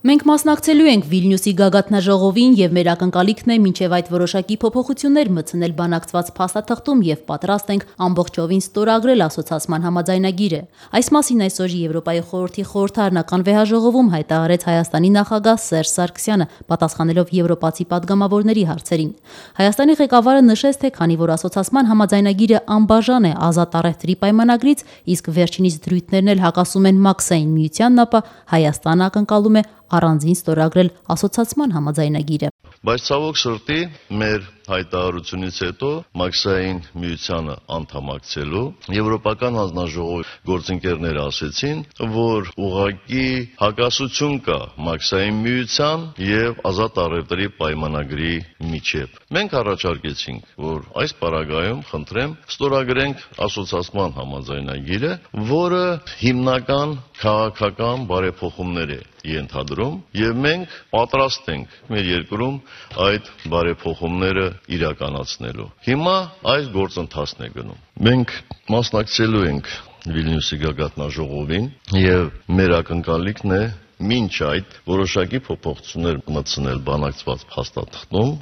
Մենք մասնակցելու ենք Վիլնյուսի գագաթնաժողովին եւ մեր ակնկալիքն է մինչեւ այդ որոշակի փոփոխություններ մտցնել բանակցված փաստաթղթում եւ պատրաստ ենք ամբողջովին ստորագրել ասոցիացման համաձայնագիրը։ Այս մասին այսօր Եվրոպայի խորհրդի խորհրդարանական վեհաժողովում հայտարարեց Հայաստանի նախագահ Սերժ Սարգսյանը, պատասխանելով եվրոպացի падգամավորների հարցերին։ Հայաստանի ղեկավարը նշեց, թե քանի որ ասոցիացման համաձայնագիրը անբաժան է ազատ առևտրի պայմանագրից, իսկ վերջինիս դրույթներն էլ հակասում են մաքսային միությանն, ապա Հայաստանը ակնկալում է առանձին ստորագրել ասոցիացման համաձայնագիրը։ Բայց ցավոք սրտի մեր հայտարարությունից հետո մաքսային միությանը անդամակցելու եվրոպական հանձնաժողովի գործընկերները ասեցին, որ ուղղակի հակասություն կա մաքսային միության եւ ազատ առևտրի պայմանագրի միջեւ։ Մենք առաջարկեցինք, որ այս պարագայում խնդրեմ ստորագրենք ասոցիացման համաձայնագիրը, որը հիմնական քաղաքական բարեփոխումներ է ենթադրում եւ մենք պատրաստ ենք մեր երկրում այդ բարեփոխումները իրականացնելու։ Հիմա այս գործընթացն է գնում։ Մենք մասնակցելու ենք Վիլնյուսի գագաթնաժողովին եւ մեր ակնկալիքն է մինչ այդ որոշակի փոփոխություններ մտցնել բանակցված փաստաթղթում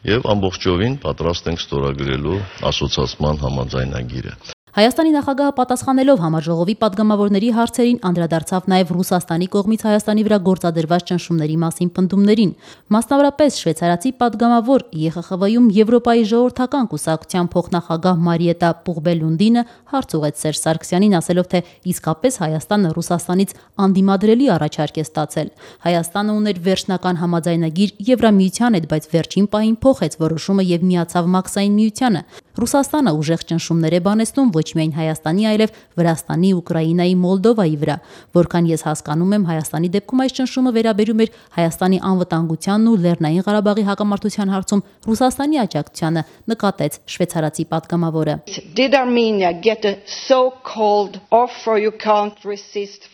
եւ ամբողջովին պատրաստ ենք ստորագրելու ասոցիացման համաձայնագիրը։ Հայաստանի նախագահը պատասխանելով համաժողովի падգամավորների հարցերին անդրադարձավ նաև Ռուսաստանի կողմից Հայաստանի վրա գործադրված ճնշումների մասին պնդումներին։ Մասնավորապես շվեյցարացի падգամավոր ԵԽԽՎ-ում Եվրոպայի ժողովրդական կուսակցության փոխնախագահ Մարիետա Պուղբելունդինը հարց ուղղեց Սերժ Սարգսյանին, ասելով, թե իսկապես Հայաստանը Ռուսաստանից անդիմադրելի առաջարկ է ստացել։ Հայաստանը ուներ վերջնական համաձայնագիր Եվրամիության հետ, բայց վերջին պահին փոխեց որոշումը եւ միացավ մաքսային միությանը։ Ռուսաստանը ուժեղ ճնշումներ է բանեցնում ոչ միայն Հայաստանի, այլև Վրաստանի, Ուկրաինայի, Մոլդովայի վրա։ Որքան ես հասկանում եմ, Հայաստանի դեպքում այս ճնշումը վերաբերում էր Հայաստանի անվտանգությանն ու Լեռնային Ղարաբաղի հակամարտության հարցում Ռուսաստանի աջակցությանը, նկատեց շվեյցարացի падգամավորը։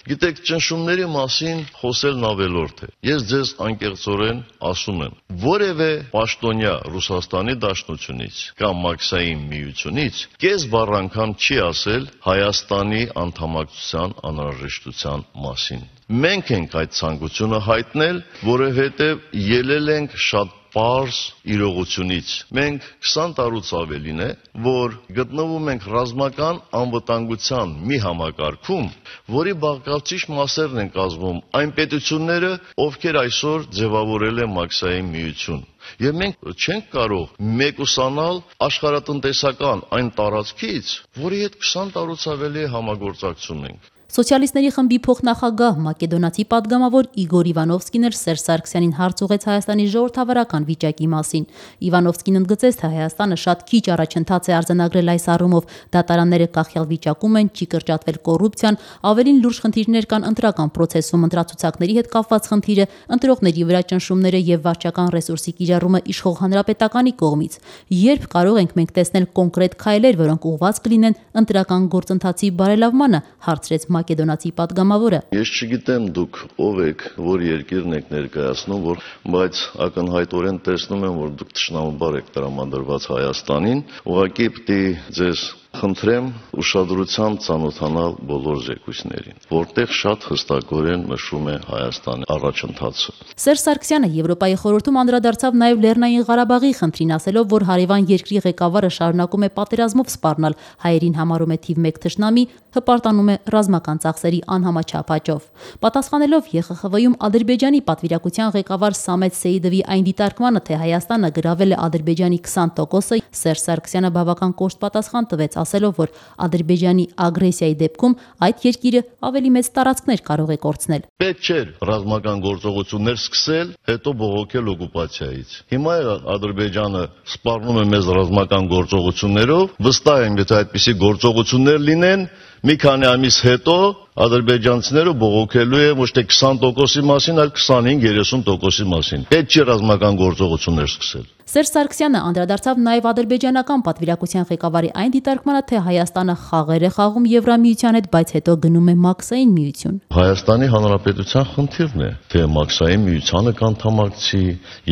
Գիտեք, ճնշումների մասին խոսելն ավելորդ է։ Ես ձեզ անկեղծորեն ասում եմ, որևէ պաշտոնյա Ռուսաստանի Դաշնությունից կամ մաքսային միությունից կես բառ անգամ չի ասել Հայաստանի անդամակցության անհրաժեշտության մասին։ Մենք ենք այդ ցանկությունը հայտնել, որովհետև ելել ենք շատ պարզ իրողությունից։ Մենք 20 տարուց ավելին է, որ գտնվում ենք ռազմական անվտանգության մի համակարգում, որի բաղկացիչ մասերն են կազմում այն պետությունները, ովքեր այսօր ձևավորել են մաքսային միություն։ Եվ մենք չենք կարող մեկուսանալ աշխարհատնտեսական այն տարածքից, որի հետ 20 տարուց ավելի համագործակցում ենք։ Սոցիալիստների խմբի փոխնախագահ մակեդոնացի падգամավոր Իգոր Իվանովսկին էլ Սերժ Սարգսյանին հարց ուղղեց Հայաստանի ժողովրդավարական վիճակի մասին։ Իվանովսկին ընդգծեց, թե Հայաստանը շատ քիչ առաջընթաց է արձանագրել այս առումով, դատարանները կախյալ վիճակում են, չի կրճատվել կոռուպցիան, ավելին լուրջ խնդիրներ կան ընտրական պրոցեսում, ընտրացուցակների հետ կապված խնդիրը, ընտրողների վրա ճնշումները եւ վարչական ռեսուրսի կիրառումը իշխող հանրապետականի կողմից։ Երբ կարող ենք մենք տեսնել կոնկրետ քայլեր, որոնք ուղղված կլինեն ընտրական գործընթացի բարելավմանը, հարցրեց մակեդոնացի падգամավորը։ Ես չգիտեմ դուք ով եք, որ երկիրն եք ներկայացնում, բայց ակնհայտորեն տեսնում եմ, որ դուք թշնամաբար եք տրամադրված Հայաստանին, ուղղակի պիտի ձեզ խնդրեմ ուշադրությամբ ծանոթանալ բոլոր զեկույցներին, որտեղ շատ հստակորեն նշում է Հայաստանի առաջընթացը։ Սերժ Սարգսյանը Եվրոպայի խորհրդում անդրադարձավ նաև Լեռնային Ղարաբաղի խնդրին, ասելով, որ հարևան երկրի ղեկավարը շարունակում է պատերազմով սպառնալ, հայերին համարում է թիվ 1 թշնամի, հպարտանում է ռազմական ծախսերի անհամաչափ աճով։ Պատասխանելով ԵԽԽՎ-ում Ադրբեջանի պատվիրակության ղեկավար Սամետ Սեիդովի այն դիտարկմանը, թե Հայաստանը գրավել է Ադրբեջանի 20%-ը, Սերժ Սարգսյանը բավական կոշտ պատասխան տվեց, ասելով, որ Ադրբեջանի ագրեսիայի դեպքում այդ երկիրը ավելի մեծ տարածքներ կարող է կորցնել։ Պետք չէր ռազմական գործողություններ սկսել, հետո բողոքել օկուպացիայից։ Հիմա Ադրբեջանը սպառնում է մեզ ռազմական գործողություններով, վստահ եմ, եթե այդպիսի գործողություններ լինեն, մի քանի ամիս հետո ադրբեջանցիները բողոքելու է ոչ թե 20%-ի մասին, այլ 25-30%-ի մասին։ Պետք չէ ռազմական գործողություններ սկսել։ Սերժ Սարգսյանը անդրադարձավ նաև ադրբեջանական պատվիրակության ղեկավարի այն դիտարկմանը, թե Հայաստանը խաղեր է խաղում Եվրամիության հետ, բայց հետո գնում է մաքսային միություն։ Հայաստանի Հանրապետության խնդիրն է, թե մաքսային միությանը կանդամակցի,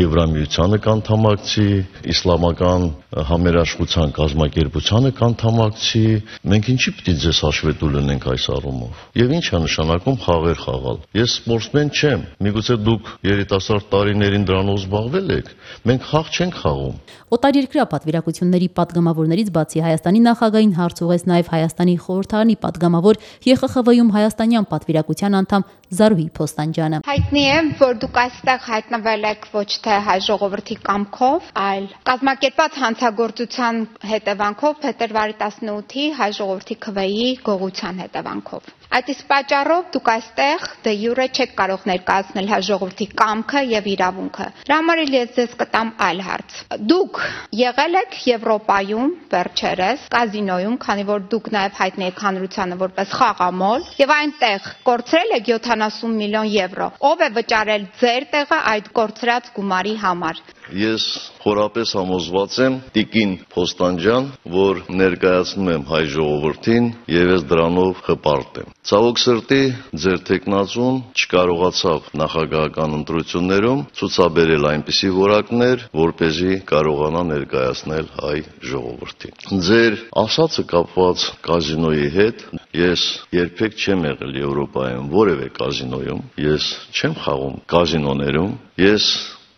Եվրամիությանը կանդամակցի, իսլամական համերաշխության կազմակերպությանը կանդամակցի։ Մենք ինչի՞ պիտի ձեզ հաշվետու լինենք այս առումով։ Եվ ինչ է նշանակում խաղեր խաղալ։ Ես սպորտսմեն չեմ։ Միգուցե դուք երիտասարդ տարիներին դրանով զբաղվել եք։ Մենք խաղ չենք խաղում։ Օտարերկրյա պատվիրակությունների պատգամավորներից բացի Հայաստանի նախագահին հարց ուղղեց նաև Հայաստանի խորհրդարանի պատգամավոր ԵԽԽՎ-ում հայաստանյան պատվիրակության անդամ Զարուհի Փոստանջյանը։ Հայտնի է, որ դուք այստեղ հայտնվել եք ոչ թե հայ ժողովրդի կամքով, այլ կազմակերպված հանցագործության հետևանքով փետրվարի 18-ի հայ ժողովրդի քվեի գողության հետևանքով։ Այդ իսկ պատճառով դուք այստեղ դե յուրե չեք կարող ներկայացնել հայ ժողովրդի կամքը եւ իրավունքը։ Դրա համար ես ձեզ կտամ այլ հարց։ Դուք եղել եք Եվրոպայում վերջերս կազինոյում, քանի որ դուք նաեւ հայտնի եք հանրությանը որպես խաղամոլ, եւ այնտեղ կորցրել եք 70 միլիոն եվրո։ Ով է վճարել ձեր տեղը այդ կորցրած գումարի համար։ Ես խորապես համոզված եմ տիկին Փոստանջյան, որ ներկայացնում եմ հայ ժողովրդին եւ ես դրանով հպարտ եմ։ Ցավոք սրտի ձեր տեխնացուն չկարողացավ նախագահական ընտրություններում ցուցաբերել այնպիսի որակներ, որպեսզի կարողանա ներկայացնել հայ ժողովրդին։ Ձեր ասածը կապված կազինոյի հետ, ես երբեք չեմ եղել Եվրոպայում որևէ կազինոյում, ես չեմ խաղում կազինոներում, ես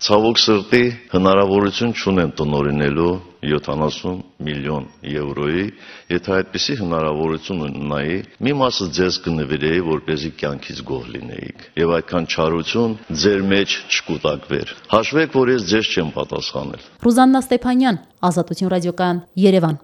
ցավոք սրտի հնարավորություն չունեմ տնօրինելու 70 միլիոն եվրոյի, եթե այդպիսի հնարավորություն ունենայի, մի մասը ձեզ կնվիրեի, որպեսզի կյանքից գոհ լինեիք, եւ այդքան չարություն ձեր մեջ չկուտակվեր։ Հաշվեք, որ ես ձեզ չեմ պատասխանել։ Ռուզաննա Ստեփանյան, Ազատություն ռադիոկայան, Երևան։